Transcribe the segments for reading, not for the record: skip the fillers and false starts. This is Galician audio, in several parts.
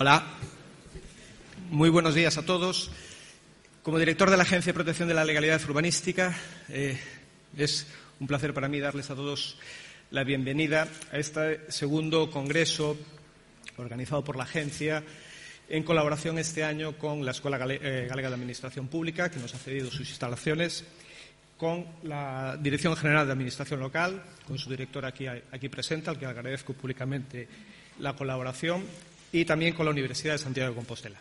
Hola, muy buenos días a todos. Como director de la Agencia de Protección de la Legalidad Urbanística, es un placer para mí darles a todos la bienvenida a este segundo congreso organizado por la Agencia en colaboración este año con la Escuela Galega de Administración Pública, que nos ha cedido sus instalaciones, con la Dirección General de Administración Local, con su director aquí presente, al que agradezco públicamente la colaboración, y también con la Universidad de Santiago de Compostela.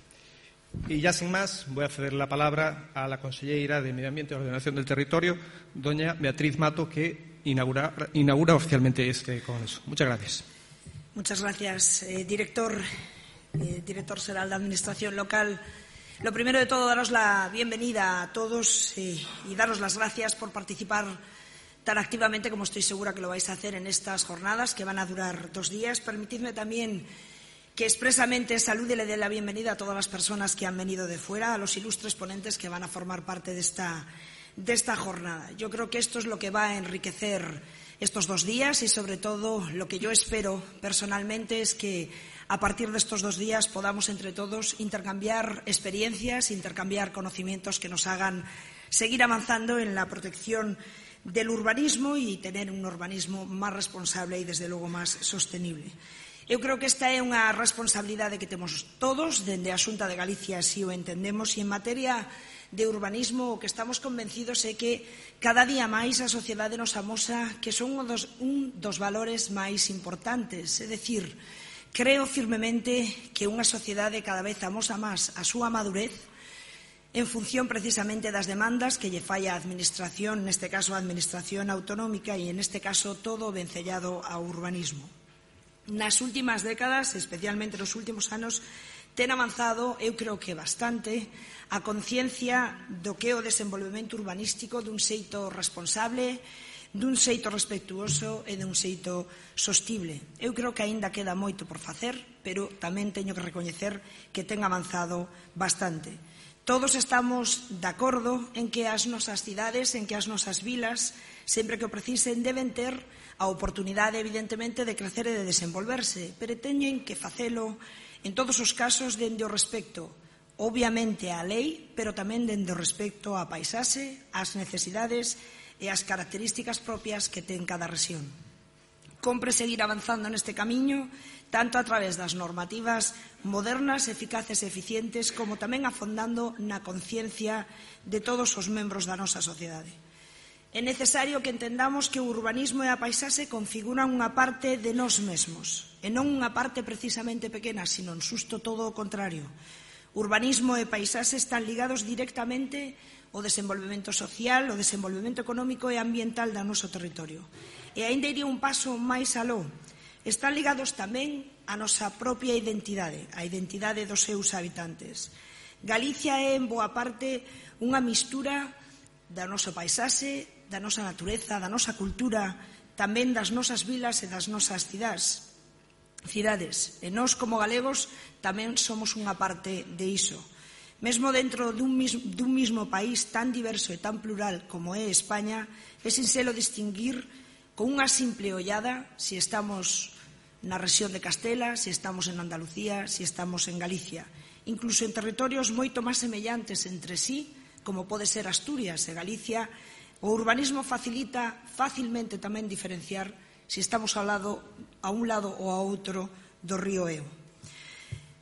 Y ya sin más, voy a ceder la palabra a la consellera de Medio Ambiente y Ordenación del Territorio, doña Beatriz Mato, que inaugura oficialmente este congreso. Muchas gracias. Muchas gracias, director general de Administración Local. Lo primero de todo, daros la bienvenida a todos y daros las gracias por participar tan activamente como estoy segura que lo vais a hacer en estas jornadas que van a durar 2 días. Permitidme también que expresamente salude y le dé la bienvenida a todas las personas que han venido de fuera, a los ilustres ponentes que van a formar parte de esta jornada. Yo creo que esto es lo que va a enriquecer estos 2 días y, sobre todo, lo que yo espero personalmente es que a partir de estos 2 días podamos entre todos intercambiar experiencias, intercambiar conocimientos que nos hagan seguir avanzando en la protección del urbanismo y tener un urbanismo más responsable y, desde logo, máis sostenible. Eu creo que esta é unha responsabilidade que temos todos, dende a Xunta de Galicia así o entendemos, e en materia de urbanismo o que estamos convencidos é que cada día máis a sociedade nos amosa que son un dos valores máis importantes. É dicir, creo firmemente que unha sociedade cada vez amosa máis a súa madurez en función precisamente das demandas que lle fai a Administración, neste caso a Administración autonómica e, neste caso, todo o vencellado ao urbanismo. Nas últimas décadas, especialmente nos últimos anos, ten avanzado, eu creo que bastante, a conciencia do que é o desenvolvemento urbanístico dun xeito responsable, dun xeito respectuoso e dun xeito sostible. Eu creo que aínda queda moito por facer, pero tamén teño que recoñecer que ten avanzado bastante. Todos estamos de acordo en que as nosas cidades, en que as nosas vilas, sempre que o precisen, deben ter a oportunidade, evidentemente, de crecer e de desenvolverse, pero teñen que facelo en todos os casos dende o respecto, obviamente, á lei, pero tamén dende o respecto á paisaxe, ás necesidades e ás características propias que ten cada rexión. Compre seguir avanzando neste camiño, tanto a través das normativas modernas, eficaces e eficientes, como tamén afondando na conciencia de todos os membros da nosa sociedade. É necesario que entendamos que o urbanismo e a paisaxe configuran unha parte de nós mesmos, e non unha parte precisamente pequena, sino en xusto todo o contrario. Urbanismo e paisaxe están ligados directamente ao desenvolvemento social, ao desenvolvemento económico e ambiental do noso territorio. E aínda iría un paso máis aló. Están ligados tamén á nosa propia identidade, a identidade dos seus habitantes. Galicia é, en boa parte, unha mistura da nosa paisaxe, da nosa natureza, da nosa cultura, tamén das nosas vilas e das nosas cidades. E nós, como galegos, tamén somos unha parte de iso. Mesmo dentro dun mismo país tan diverso e tan plural como é España, é sinxelo distinguir con unha simple ollada se estamos na rexión de Castela, se estamos en Andalucía, se estamos en Galicia. Incluso en territorios moito máis semellantes entre sí, como pode ser Asturias e Galicia, o urbanismo facilita facilmente tamén diferenciar se estamos a un lado ou a outro do río Eo.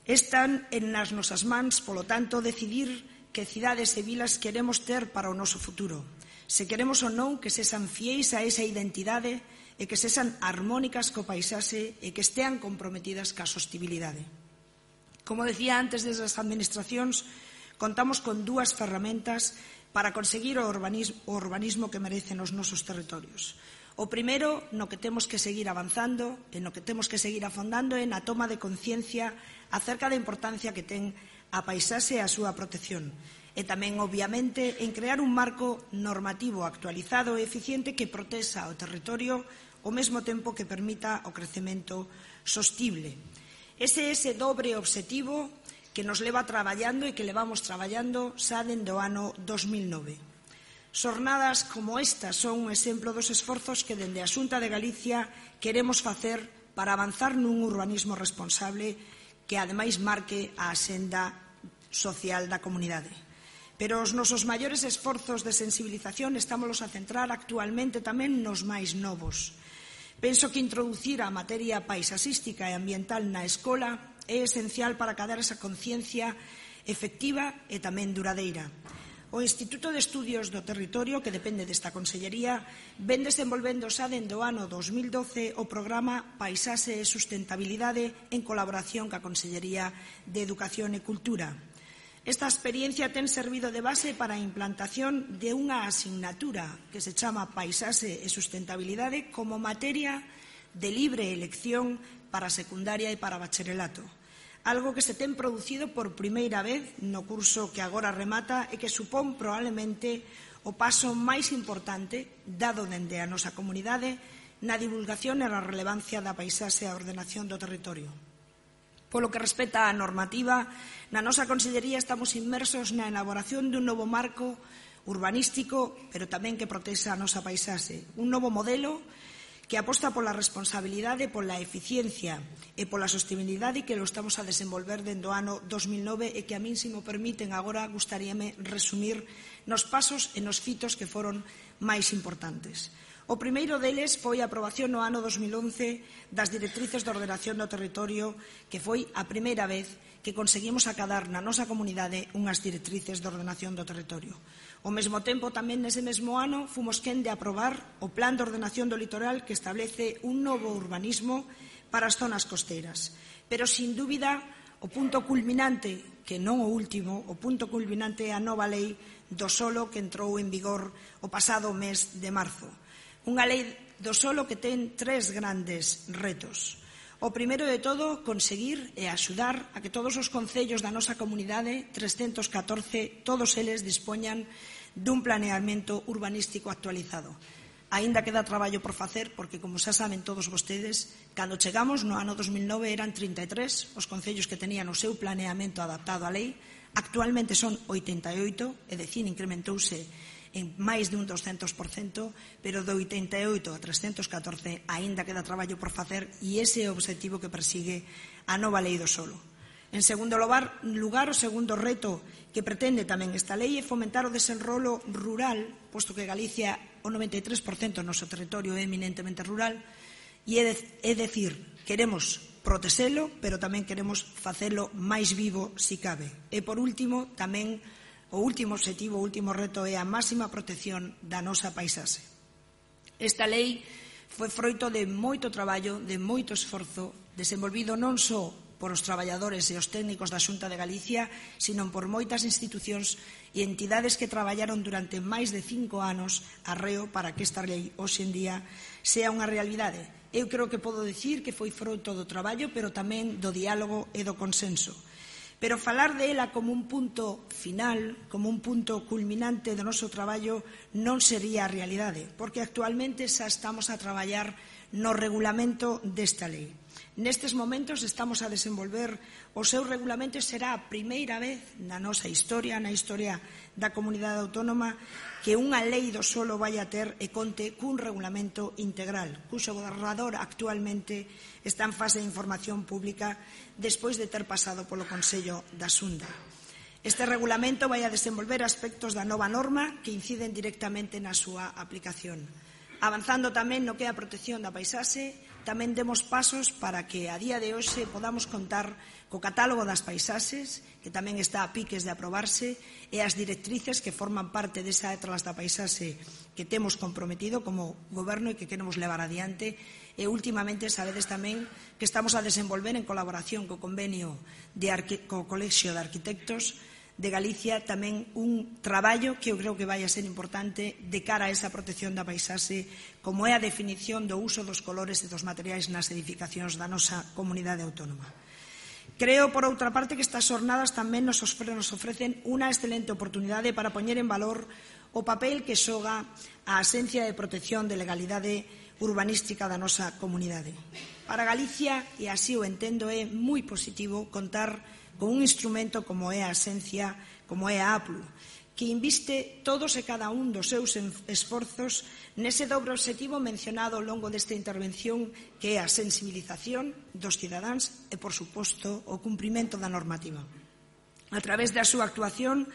Están nas nosas mans, polo tanto, decidir que cidades e vilas queremos ter para o noso futuro. Se queremos ou non que sexan fiéis a esa identidade e que sexan armónicas co paisaxe e que estean comprometidas ca sostibilidade. Como decía antes, desde as administracións contamos con 2 ferramentas para conseguir o urbanismo que merecen os nosos territorios. O primeiro, no que temos que seguir avanzando e no que temos que seguir afondando é na toma de conciencia acerca da importancia que ten a paisaxe e a súa protección. E tamén, obviamente, en crear un marco normativo actualizado e eficiente que protexa o territorio ao mesmo tempo que permita o crecemento sostible. Ese dobre obxectivo que nos leva traballando e que levamos traballando xa dende o ano 2009. Xornadas como esta son un exemplo dos esforzos que dende a Xunta de Galicia queremos facer para avanzar nun urbanismo responsable que ademais marque a axenda social da comunidade. Pero os nosos maiores esforzos de sensibilización estámolos a centrar actualmente tamén nos máis novos. Penso que introducir a materia paisaxística e ambiental na escola é esencial para cadar esa conciencia efectiva e tamén duradeira. O Instituto de Estudios do Territorio, que depende desta Consellería, ven desenvolvendo xa dende o ano 2012 o programa Paisaxe e Sustentabilidade en colaboración ca Consellería de Educación e Cultura. Esta experiencia ten servido de base para a implantación de unha asignatura que se chama Paisaxe e Sustentabilidade como materia de libre elección para secundaria e para bacharelato. Algo que se ten producido por primeira vez no curso que agora remata e que supón probablemente o paso máis importante dado dende a nosa comunidade na divulgación e na relevancia da paisaxe e a ordenación do territorio. Polo que respecta á normativa, na nosa Consellería estamos inmersos na elaboración dun novo marco urbanístico, pero tamén que protexa a nosa paisaxe. Un novo modelo que aposta pola responsabilidade, pola eficiencia e pola sostenibilidade que lo estamos a desenvolver dende o ano 2009 e que a min, se mo permiten, agora gustaríame resumir nos pasos e nos fitos que foron máis importantes. O primeiro deles foi a aprobación no ano 2011 das directrices de ordenación do territorio, que foi a primeira vez que conseguimos acadar na nosa comunidade unhas directrices de ordenación do territorio. Ao mesmo tempo, tamén nese mesmo ano, fomos quen de aprobar o Plan de Ordenación do Litoral, que establece un novo urbanismo para as zonas costeiras. Pero, sin dúbida, o punto culminante, que non o último, o punto culminante é a nova lei do solo que entrou en vigor o pasado mes de marzo. Unha lei do solo que ten tres grandes retos. O primeiro de todo, conseguir e axudar a que todos os concellos da nosa comunidade, 314, todos eles dispoñan dun planeamento urbanístico actualizado. Aínda queda traballo por facer, porque, como xa saben todos vostedes, cando chegamos no ano 2009 eran 33 os concellos que tenían o seu planeamento adaptado á lei. Actualmente son 88, é dicir, incrementouse en máis de un 200%, pero de 88 a 314 aínda queda traballo por facer e ese é o obxectivo que persigue a nova lei do solo. En segundo lugar, o segundo reto que pretende tamén esta lei é fomentar o desenrolo rural, posto que Galicia, o 93% do noso territorio é eminentemente rural, e é dicir, queremos protexelo, pero tamén queremos facelo máis vivo si cabe. E por último, tamén o último obxectivo, o último reto é a máxima protección da nosa paisaxe. Esta lei foi froito de moito traballo, de moito esforzo, desenvolvido non só por os traballadores e os técnicos da Xunta de Galicia, sino por moitas institucións e entidades que traballaron durante máis de 5 anos arreo para que esta lei hoxe en día sea unha realidade. Eu creo que podo dicir que foi froito do traballo, pero tamén do diálogo e do consenso. Pero falar de ela como un punto final, como un punto culminante do noso traballo, non sería a realidade, porque actualmente xa estamos a traballar no regulamento desta lei. Nestes momentos estamos a desenvolver o seu regulamento e será a primeira vez na nosa historia, na historia da comunidade autónoma, que unha lei do solo vai a ter e conte cun regulamento integral, cuxo borrador actualmente está en fase de información pública despois de ter pasado polo Consello da Xunta. Este regulamento vai a desenvolver aspectos da nova norma que inciden directamente na súa aplicación. Avanzando tamén no que é a protección da paisaxe, tamén demos pasos para que a día de hoxe podamos contar co catálogo das paisaxes, que tamén está a piques de aprobarse, e as directrices que forman parte desa Atlas da Paisaxe que temos comprometido como Goberno e que queremos levar adiante. E últimamente sabedes tamén que estamos a desenvolver en colaboración co convenio co Colexio de Arquitectos de Galicia tamén un traballo que eu creo que vai a ser importante de cara a esa protección da paisaxe, como é a definición do uso dos colores e dos materiais nas edificacións da nosa comunidade autónoma. Creo, por outra parte, que estas xornadas tamén nos ofrecen unha excelente oportunidade para poñer en valor o papel que xoga a Axencia de Protección de Legalidade Urbanística da nosa comunidade. Para Galicia, e así o entendo, é moi positivo contar con un instrumento como é a Axencia, como é a APLU, que inviste todos e cada un dos seus esforzos nese dobre obxectivo mencionado ao longo desta intervención, que é a sensibilización dos cidadáns e, por suposto, o cumprimento da normativa. A través da súa actuación,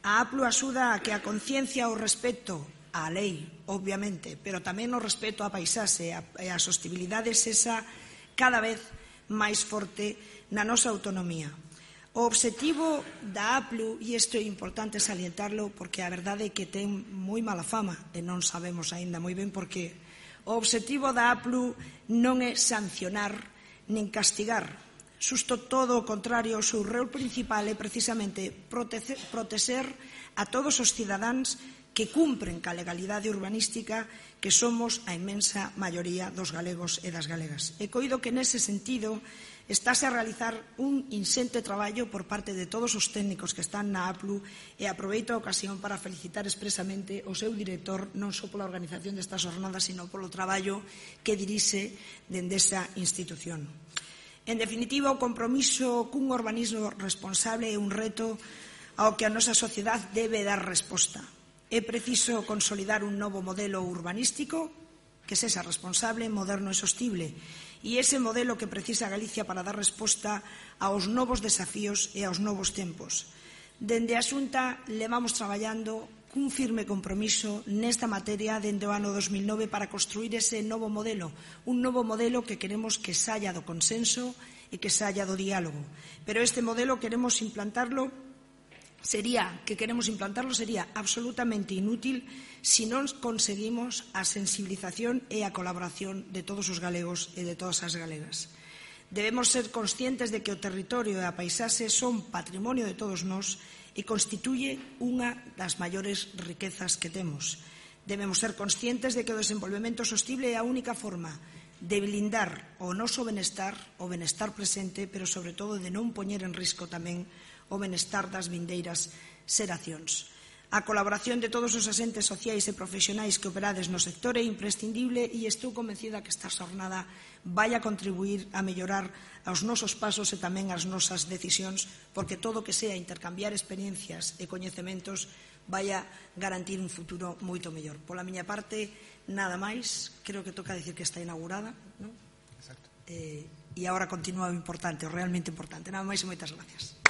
a APLU axuda a que a conciencia ao respecto á lei, obviamente, pero tamén o respeto á paisaxe e á sostibilidade sexa cada vez máis forte na nosa autonomía. O obxectivo da APLU, e isto é importante salientarlo porque a verdade é que ten moi mala fama e non sabemos aínda moi ben por qué. O obxectivo da APLU non é sancionar nin castigar. Xusto todo o contrario, o seu rol principal é precisamente protexer a todos os cidadáns que cumpren ca legalidade urbanística, que somos a inmensa maioría dos galegos e das galegas. E coido que nese sentido estáse a realizar un insente traballo por parte de todos os técnicos que están na APLU, e aproveito a ocasión para felicitar expresamente o seu director non só pola organización destas jornadas, sino polo traballo que dirixe dende esa institución. En definitiva, o compromiso cun urbanismo responsable é un reto ao que a nosa sociedade debe dar resposta. É preciso consolidar un novo modelo urbanístico que sexa responsable, moderno e sostible. E ese modelo que precisa Galicia para dar resposta aos novos desafíos e aos novos tempos. Dende a Xunta levamos traballando cun firme compromiso nesta materia dende o ano 2009 para construir ese novo modelo, un novo modelo que queremos que saia do consenso e que saia do diálogo. Pero este modelo sería absolutamente inútil se non conseguimos a sensibilización e a colaboración de todos os galegos e de todas as galegas. Debemos ser conscientes de que o territorio e a paisaxe son patrimonio de todos nós e constituye unha das maiores riquezas que temos. Debemos ser conscientes de que o desenvolvemento sostible é a única forma de blindar o noso benestar, o benestar presente, pero sobre todo de non poñer en risco tamén o benestar das vindeiras xeracións. A colaboración de todos os asentes sociais e profesionais que operades no sector é imprescindible, e estou convencida que esta xornada vai a contribuir a mellorar os nosos pasos e tamén as nosas decisións, porque todo que sea intercambiar experiencias e coñecementos vai a garantir un futuro moito mellor. Pola miña parte, nada máis. Creo que toca dicir que está inaugurada, non? Exacto. E agora continúa o importante, o realmente importante. Nada máis e moitas gracias.